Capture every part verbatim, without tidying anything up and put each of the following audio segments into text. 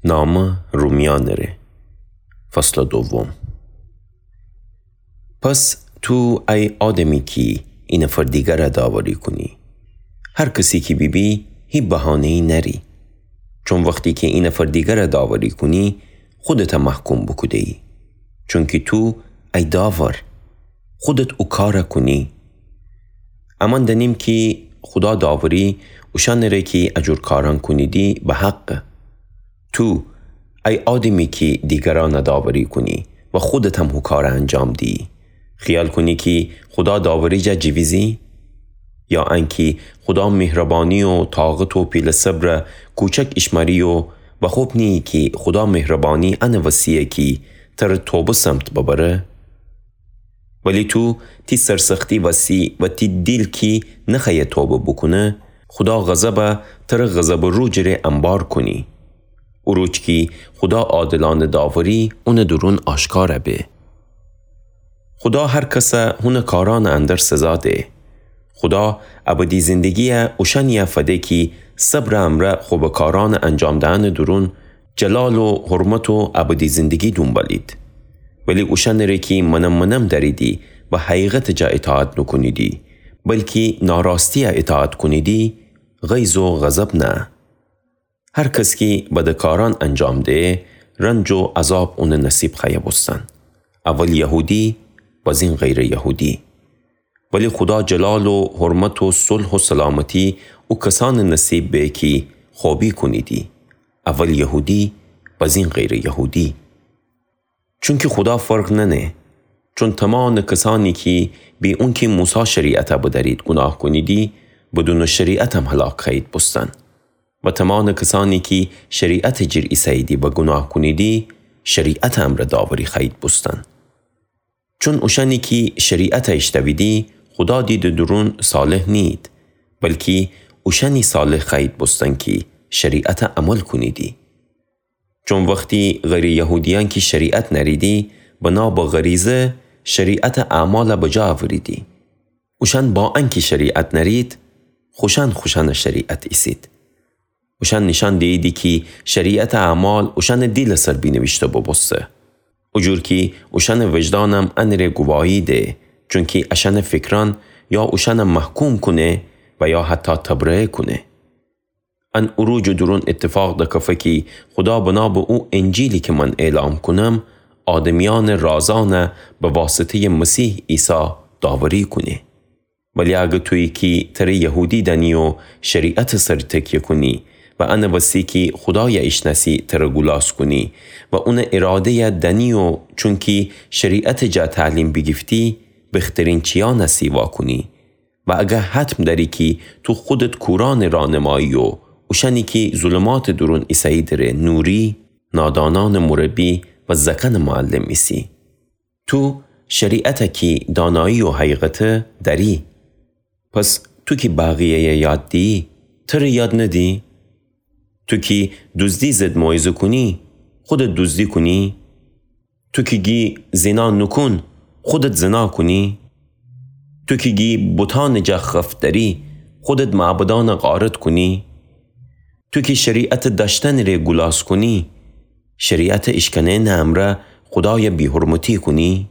نامه رومیأنٚ ره. فصلٚ دوم. پس تو ای آدمی کی اینفر دیگره داوری کونی، هر کسی کی بیبی، هی بهانه‌یی نأری. چون وختی کی اینفر دیگره داوری کونی، خودته محکوم بوکوده‌یی. چونکی تو ای داور، خودت او کاره کونی. امأن دأنیم کی خودا داوری اوشأنٚ ره کی ا جور کارأن کونیدی به حقه. تو، ای آدمی کی دیگرأنه داوری کونی و خودت هم هو کاره انجام دیی، خیال کونی کی خودا داوری جا جیویزی؟ یا انکی خودا مهربانی و طاقت و پیله صبره کوچک ایشمأری و بخوب نیی کی خودا مهربانی انٚ وسییه کی تره توبه سمت ببره؟ ولی تو تی سرسختی وسی و تی دیل کی نخوأیه توبه بوکونه، خودا غضبه تره غضبٚ روجٚ ره انبار کونی. او روج کی خودا عادلأنٚ داوری اونٚ دورون آشکار به. خودا هر کسه هونٚ کارأنٚ اندر سزا ده. خودا ابدی زندگییه اوشأنیی فده کی صبرٚ امرأ خوبٚ کارأنٚ انجام دهنٚ دورون جلال و حرمت و ابدی زندگی دونبالید. ولی اوشأنٚ ره کی منم منم دأریدی و حقیقتٚ جا اطاعت نوکونیدی، بلکی ناراستییه اطاعت کونیدی، غیظ و غضب نه. هر کس کی بدٚ کارأن انجام ده، رنج و عذاب اونٚ نصیب خوأیه بوستن. اول یهودی، بازین غیرٚ یهودی. ولی خودا جلال و حرمت و صلح و سلامتی او کسأنٚ نصیب به کی خوبی کونیدی، اول یهودی، بازین غیرٚ یهودی. چونکی خودا فرق نأنه، چون تمامٚ کسأنی کی بی اونکی موسی شریعته بدأرید گوناه کونیدی، بدونٚ شریعت هم هلاک خوأیید بوستن. و تمامٚ کسأنی کی شریعتٚ جیر ایسه‌ییدی و گوناه کونیدی، شریعتٚ امرأ داوری خوأیید بوستن. چون اوشأنی کی شریعته ایشتأویدی، خودا دیدٚ دورون صالح نیید، بلکی اوشأنی صالح خوأیید بوستن کی شریعته عمل کونیدی. چون وختی غیرٚ یهودیأن کی شریعت نأریدی، بنا به غریضه شریعتٚ اعماله بجا اوریدی. اوشأن با انکی شریعت نأرید، خوشأن خوشأنٚ شریعت ایسید. اوشأن نیشأن دییدی کی شریعتٚ اعمال اوشأنٚ دیلٚ سر بینیویشته بوبوسته. او جور کی اوشأنٚ وجدانم انٚ ره گواهی ده، چونکی اشأنٚ فکرأن یا اوشأنه محکوم کونه و یا حتی تبرئه کونه. ان او روجٚ دورون ایتفاق دکفه کی خودا بنا به او انجیلی کی من اعلام کونم، آدمیأنٚ رازأنه به واسطه‌یٚ مسیح عیسی داوری کونه. ولی اگر تویی کی تره یهودی دأنی و شریعتٚ سر تکیه کونی و انٚ وسی کی خودایه ایشنأسی تره گولاس کونی و اونٚ اراده‌یه دأنی و چونکی شریعتٚ جا تعلیم بیگیفتی، بخترین چیأنه سیوا کونی، و اگر حتم دأری کی تو خودت کورأنٚ رانمایی و اوشأنی کی ظلماتٚ دورون ایسه‌ییدی ره نوری، نادانأنٚ مربی و زأکأنٚ معلم ایسی. تو شریعته کی دانایی و حقیقته دأری. پس تو کی بقیه‌یه یاد دیی، تره یاد ندی؟ تو کی دوزدی ضد موعظه کونی، خودت دوزدی کونی؟ تو کی گی زنا نوکون، خودت زنا کونی؟ تو کی گی بتأنٚ جا خفت دأری، خودت معبدأنه غارت کونی؟ تو کی شریعتٚ دأشتنٚ ره گولاس کونی، شریعتٚ ایشکنئنٚ امرأ خودایه بی‌حرمتی کونی؟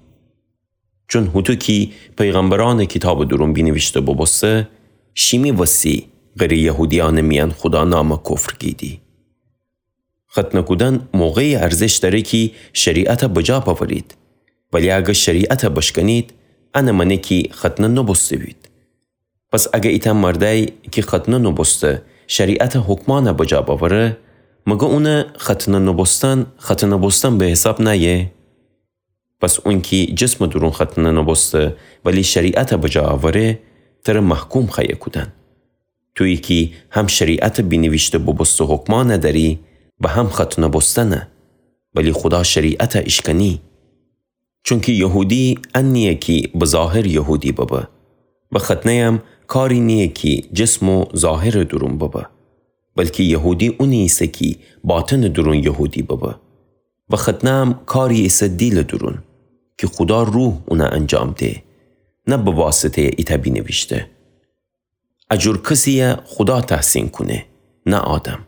چون هوطو کی پیغمبرأنٚ کیتابٚ دورون بینیویشته بوبوسته، شیمی وسی غیرٚ یهودیأنٚ میأن خودا نامه کفر گیدی. ختنه کودن موقعی ارزش دأره کی شریعته بجا بأورید. ولی اگر شریعته بشکنید، انٚ مأنه کی ختنه نوبوسته‌بید. پس اگر ایتأ مردأیی کی ختنه نوبوسته شریعتٚ حکمأنه بجا بأوره، مگر اونٚ ختنه نوبوستن، ختنه بوستن به حساب نأیه؟ پس اونکی جسمٚ دورون ختنه نوبوسته، ولی شریعته بجا اوره، تره محکوم خوأیه کودن. تویی کی هم شریعتٚ بینیویشته بوبوسته حکمأنه دأری و هم ختنه بوستنه، ولی خودا شریعته ایشکنی. چونکی یهودی ان نییه کی به ظاهر یهودی ببه، و ختنه‌یم کاری نییه کی جسم و ظاهرٚ دورون ببه، بلکی یهودی اونی ایسه کی باطنٚ دورون یهودی ببه. و ختنه‌یم کاری ایسه دیلٚ دورون، کی خودا روح اونه انجام ده، نه به واسطه‌یٚ ایتأ بینیویشته. ا جور کسی‌یه خودا تحسین کونه، نه آدم.